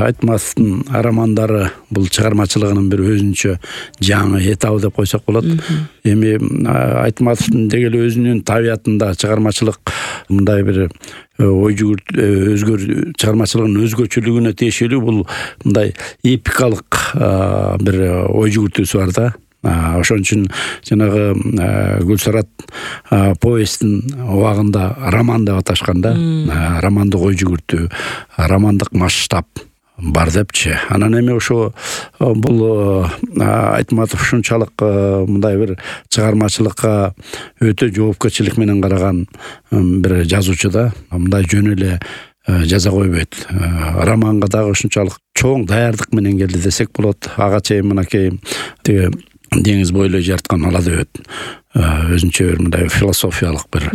Айтматовдун романдары бул чыгармачылыгынын бир өзүнчө жаңы этабы деп койсок болот. Эми Айтматовдун деги эле өзүнүн табиятында чыгармачылык мындай бир ой жүгүрт чыгармачылыгынын өзгөчөлүгүнө тиешелүү бул мындай эпикалык бир ой жүгүртүүсү бар да. Ошон үчүн жанагы Гүлсарат повесттин убагында роман деп аташкан да. Романдык ой жүгүртүү, романдык масштаб бар депчи. Анан эми ошо бул Айтматов ушунчалык мындай бир чыгармачылыкка өтө жоопкерчилик менен караган бир жазуучу да. Мындай жөн эле жаза койбойт. Романга дагы ушунчалык чоң даярдык менен келди десек болот. Ага чейин мынакей тиги деңиз бойлой жарткан ала дөбөт өзүнчө бир мындай философиялык бир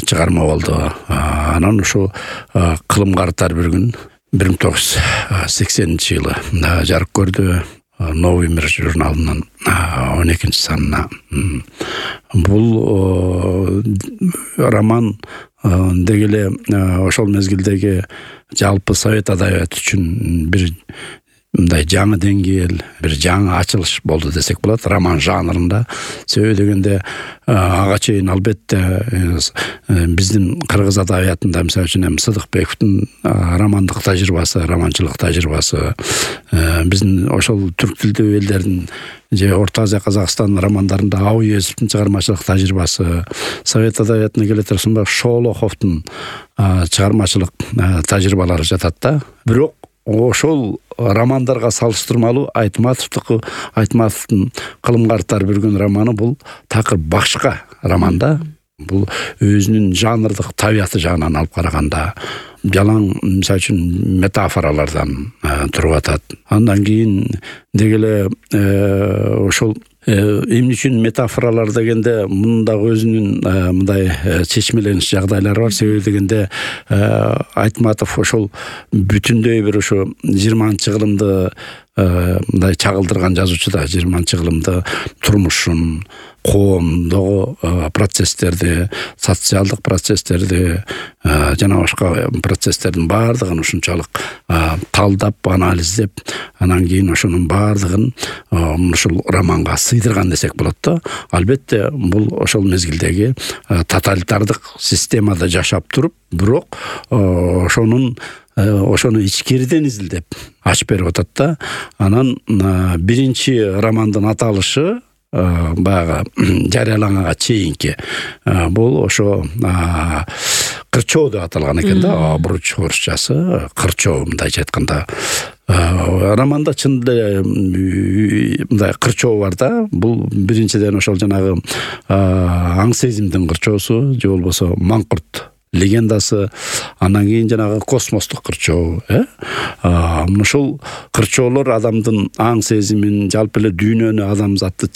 чыгарма болду. Анан ушу кылым карытар бир күн 1980-жылы жарык көрдү. Новый мир журналынын 12-санына. Бул роман деги эле ошол мезгилдеги жалпы совет адабияты үчүн бир мындай жаңы деңгээл, бир жаңы ачылыш болду десек болот роман жанрында. Себеби дегенде ага чейин албетте биздин кыргыз адабиятында мисалы үчүн Сыдыкбековдун романдык тажрыйбасы, романчылык тажрыйбасы, биздин ошол түрк тилдүү элдердин же Орто Азия Казакстан романдарында Ауезовдун чыгармачылык тажрыйбасы, совет адабиятына келе турсунда Шолоховдун чыгармачылык тажрыйбалары жатат да. Бирок ошол романдарга салыштырмалуу Айтматовдун кылым карытар бир күн романы бул такыр башка роман да. Бул өзүнүн жанрдык табияты жагынан алып караганда жалаң мисалы үчүн метафоралардан туруп атат. Андан кийин деги эле ошол эмне үчүн метафоралар дегенде мунун дагы өзүнүн мындай чечмелениш жагдайлары бар. Себеби дегенде Айтматов ошол бүтүндөй бир ошо 20-кылымды мындай чагылдырган жазуучу да. 20-кылымды турмушун, коомдогу процесстерди, социалдык процесстерди жана башка процесстердин баардыгын ушунчалык талдап, анализдеп, анан кийин ошонун баардыгын ушул романга сыйдырган десек болот да. Албетте бул ошол мезгилдеги тоталитардык системада жашап туруп, бирок ошону ичкериден изилдеп ачып берип атат да. Анан биринчи романдын аталышы баягы жарыяланганга чейинки бул ошо кырчоо деп аталган экен да. Обруч орусчасы кырчоо мындайча айтканда. Романда чын эле мындай кырчоо бар да. Бул биринчиден ошол жанагы аң сезимдин кырчоосу же болбосо маңкурт легендасы, андан кийин жанагы космостук кырчоо. Ушул кырчоолор адамдын аң сезимин, жалпы эле дүйнөнү, адамзатты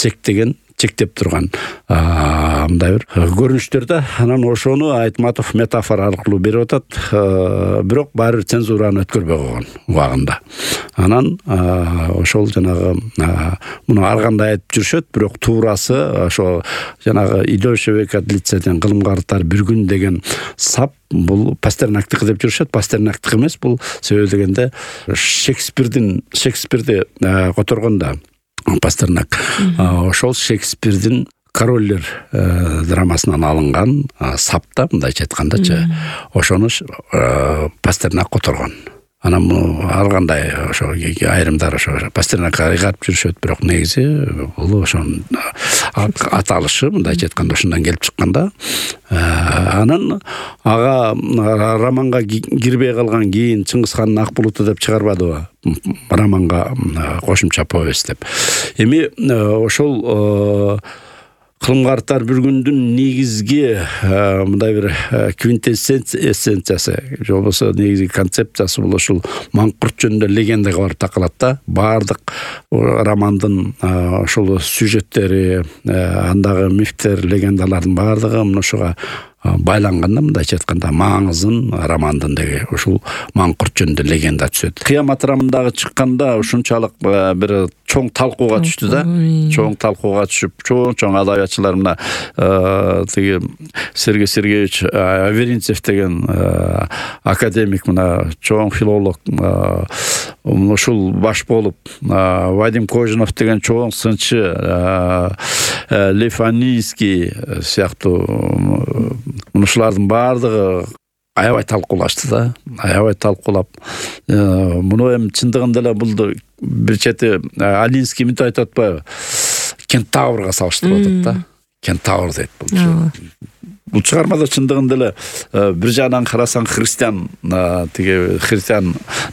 чектеп турган мындай бир көрүнүштөр да. Анан ошону Айтматов метафора аркылуу берип атат, бирок баары бир цензураны өткөрбөй койгон убагында. Анан ошол жанагы муну ар кандай айтып жүрүшөт, бирок туурасы ошо жанагы идущего от лицеден кылым карытар бир күн деген сап бул Пастернактыкы деп жүрүшөт. Пастернактык эмес бул. Себеби дегенде Шекспирди которгондо Пастернак ошол Шекспирдин Короллер драмасынан алынган сапта, мындайча айткандачы, ошону Пастернак которгон. Анан ар кандай ошо айрымдар ошо Пастернакка ыйгарып жүрүшөт, бирок негизи бул ошонун аталышы мындайча айтканда ошондон келип чыккан да. Анан ага романга кирбей калган кийин Чыңгызхандын Ак булуту деп чыгарбадыбы романга кошумча повесть деп. Эми ошол кылым карытар бир күндүн негизги мындай бир квинтэссенциясы же болбосо негизги концепциясы бул ошол маңкурт жөнүндө легендага барып такалат да. Баардык романдын ошол сюжеттери, андагы мифтер, легендалардын баардыгы ошого байланганда, мындайча айтканда маңызын романдын деги ушул маңкурт жөнүндө легенда түшөт. Кыямат романдагы чыкканда ушунчалык бир чоң талкууга түштү да. Чоң талкууга түшүп, чоң адабиятчылар мына тиги Сергей Сергеевич Аверинцев деген академик, мына чоң филолог, ушул баш болуп Вадим Кожинов деген чоң сынчы, Лев Анийский сыяктуу ушулардын баардыгы аябай талкуулашты да, аябай талкуулап, муну эми чындыгында эле бул бир чети Алинский мынтип айтып атпайбы, кентаврга салыштырып атат да, кентавр дейт бул. Бул чыгармада чындыгында эле бир жагынан карасаң христиан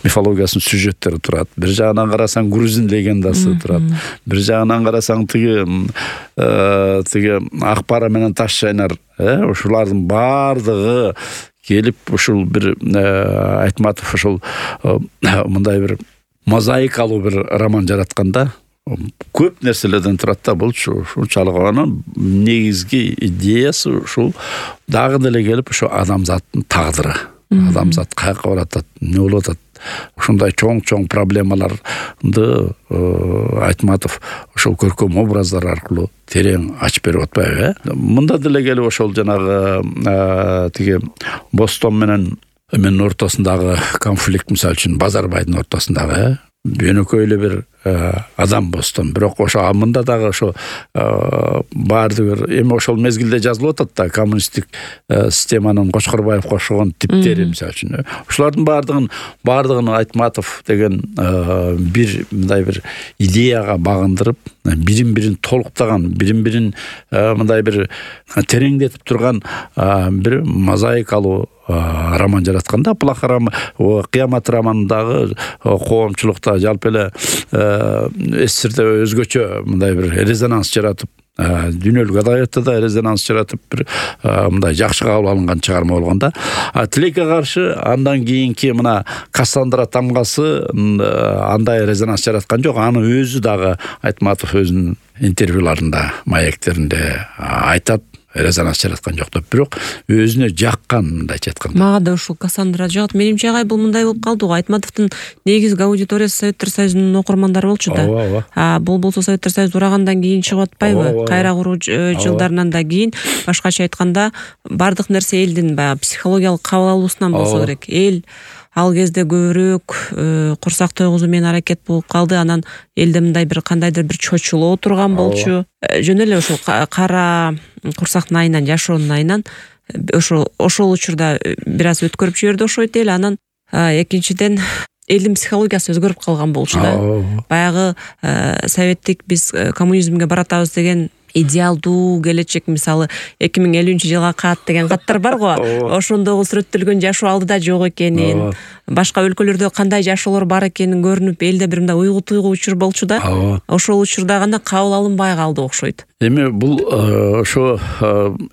мифологиясынын сюжеттери турат, бир жагынан карасаң грузин легендасы турат, бир жагынан карасаң тиги ак бара менен таш чайнар, ушулардын баардыгы келип ушул бир Айтматов ушул мындай бир мозаикалуу бир роман жаратканда көп нерселерден турат да. Бул ушунчалык анын негизги идеясы ушул дагы деле келип ушу адамзаттын тагдыры, адамзат каяка баратат, эмне болуп атат, ушундай чоң проблемаларды Айтматов ошол көркөм образдар аркылуу терең ачып берип атпайбы? Мында деле келип ошол жанагы тиги Бостон менен эменин ортосундагы конфликт, мисалы үчүн Базарбайдын ортосундагы бөнөкөй эле бир адам Бостон, бирок ошо мында дагы ошо баардыгы эми ошол мезгилде жазылып атат да, коммунисттик системанын Кочкорбаевге окшогон типтери, мисалы үчүн. Ушулардын баардыгын Айтматов деген бир мындай бир идеяга багындырып, бирин-бирин толуктаган, бирин-бирин мындай бир тереңдетип турган бир мозаикалуу роман жаратканда, Кыямат романындагы коомчулукта жалпы эле СССРде өзгөчө мындай бир резонанс жаратып, дүйнөлүк адабиятта да резонанс жаратып бир мындай жакшы кабыл алынган чыгарма болгондо, Тилекке каршы андан кийинки мына Кассандра тамгасы андай резонанс жараткан жок. Аны өзү дагы Айтматов өзүнүн интервьюларында, маектеринде айтат, резонанс жараткан жок деп, бирок өзүнө жаккан, мындайча айтканда. Мага да ушул Кассандра жагат. Менимче агай бул мындай болуп калды го. Айтматовдун негизги аудиториясы Советтер Союзунун окурмандары болчу да. Бул болсо Советтер Союзу урагандан кийин чыгып атпайбы? Кайра куруу жылдарынан да кийин, башкача айтканда, бардык нерсе элдин баягы психологиялык кабыл алуусунан болсо керек. Эл ал кезде көбүрөөк курсак тойгузуу менен аракет болуп калды. Анан элде мындай бир кандайдыр бир чочулоо турган болчу. Жөн эле ошол кара курсактын айынан, жашоонун айынан ошол учурда бир аз өткөрүп жиберди окшойт эле. Анан экинчиден элдин психологиясы өзгөрүп калган болчу да. Баягы советтик биз коммунизмге баратабыз деген идеалдуу келечек, мисалы 2050-жылга кат деген каттар бар го. Ошондогу сүрөттөлгөн жашоо алдыда жок экенин, башка өлкөлөрдө кандай жашоолор бар экенин көрүнүп, элде бир мындай уйгу учур болчу да. Ошол учурда гана кабыл алынбай калды окшойт. Эми бул ошо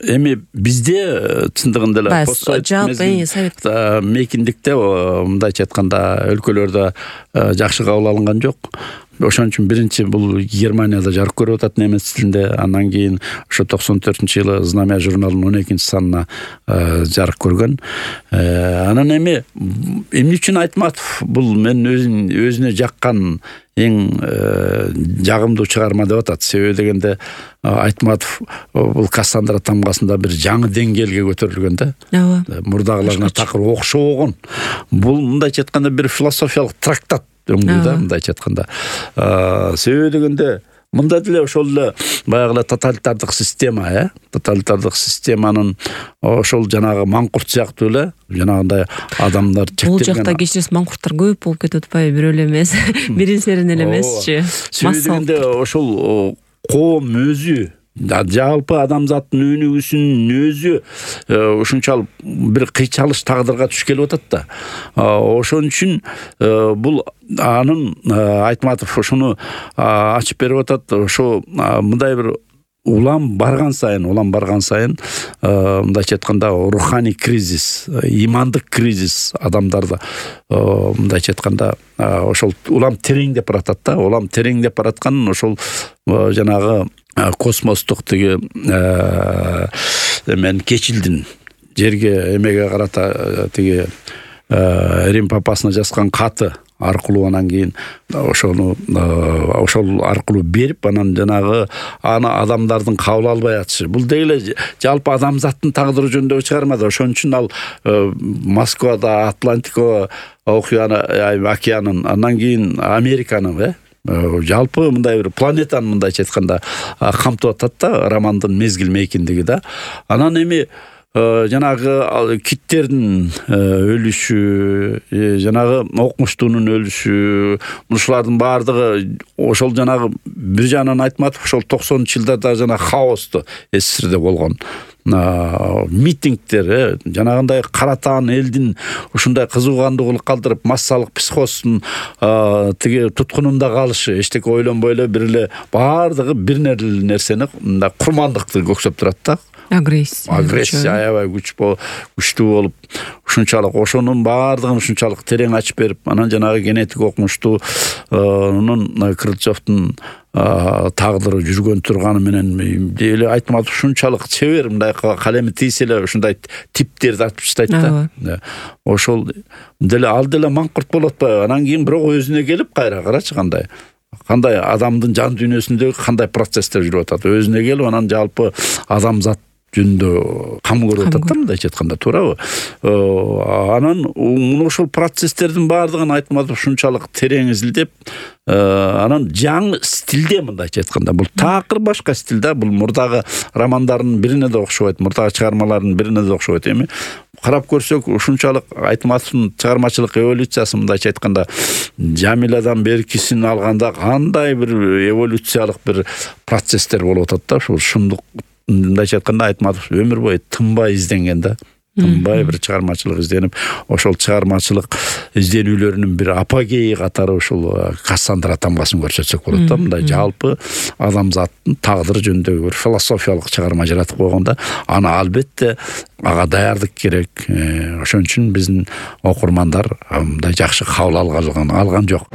эми бизде чындыгында эле постсовет мейкиндикте, мындайча айтканда, өлкөлөрдө жакшы кабыл алынган жок. Ошон үчүн биринчи бул Германияда жарык көрүп атат немец тилинде, андан кийин ошо 94-жылы Знамя журналынын 12-санына жарык көргөн. Анан эмне үчүн Айтматов бул мен өзүнө жаккан эң жагымдуу чыгарма деп атат. Себеби дегенде Айтматов бул Кассандра тамгасында бир жаңы деңгээлге көтөрүлгөн да. Мурдагыларына такыр окшогон. Бул мындайча айтканда бир философиялык трактат өңдүү да, мындайча айтканда. Себеби дегенде мында деле ошол эле баягы тоталитардык система, тоталитардык системанын ошол жанагы маңкурт сыяктуу эле жанагындай адамдар чектелген. Бул жакта кечиресиз маңкурттар көп болуп кетип атпайбы, бирөө эле эмес, бирин-серин эле эмесчи. Себеби дегенде ошол коом өзү, жалпы адамзаттын өнүгүүсүнүн өзү ушунчалык бир кыйчалыш тагдырга туш келип атат да. Ошон үчүн бул анын Айтматов ошону ачып берип атат. Ошо мындай бир улам барган сайын мындайча айтканда руханий кризис, имандык кризис адамдарда мындайча айтканда ошол улам тереңдеп баратат да. Улам тереңдеп бараткан ошол жанагы космостук тиги эмен кечилдин жерге эмеге карата тиги Рим папасына жазган каты аркылуу анан кийин ошол аркылуу берип анан жанагы аны адамдардын кабыл албай атышы. Бул дегеле жалпы адамзаттын тагдыры жөнүндөгү чыгарма да. Ошон үчүн ал Москвада Атлантика океанын, андан кийин Американын, жалпы мындай бир планетаны мындайча айтканда камтып атат да, романдын мезгил мейкиндиги да. Анан эми жанагы киттердин өлүшү, жанагы окмуштуунун өлүшү, ушулардын баардыгы ошол жанагы бир жагынан Айтматов ошол 90-жылдарда жана хаосту СССРде болгон митингдер, жанагындай каратаан элдин ушундай кызуугандуулук калтырып, массалык психоздун тиги туткунунда калышы, эчтеке ойлонбой эле бир эле баардыгы бир нерсени курмандыкты көксөп турат да. Агрессия аябай күчтүү болуп, ушунчалык ошонун баардыгын ушунчалык терең ачып берип, анан жанагы генетик окумуштуунун Крыльцовдун тагдыры жүргөн турганы менен эле Айтматов ушунчалык чебер, мындай калеми тийсе эле ушундай типтерди ачып таштайт да. Ошол деле ал деле маңкурт болуп атпайбы? Анан кийин бирок өзүнө келип кайра карачы кандай адамдын жан дүйнөсүндөгү кандай процесстер жүрүп атат. Өзүнө келип анан жалпы адамзат жөнүндө кам көрүп атат да, мындайча айтканда, туурабы? Анан ошол процесстердин баардыгын Айтматов ушунчалык терең изилдеп, анан жаңы стилде, мындайча айтканда, бул такыр башка стиль да. Бул мурдагы романдардын бирине да окшобойт, мурдагы чыгармалардын бирине да окшобойт. Эми карап көрсөк, ушунчалык Айтматовдун чыгармачылык эволюциясы, мындайча айтканда, Жамиладан беркисин алганда кандай бир эволюциялык бир процесстер болуп атат да. Ушул шындык, мындайча айтканда, Айтматов өмүр бою тынбай изденген да. Тынбай бир чыгармачылык изденип, ошол чыгармачылык изденүүлөрүнүн бир апогеи катары ушул Кассандра тамгасын көрсөтсөк болот да. Мындай жалпы адамзаттын тагдыры жөнүндөгү бир философиялык чыгарма жаратып койгонда, аны албетте ага даярдык керек. Ошон үчүн биздин окурмандар мындай жакшы кабыл алган жок.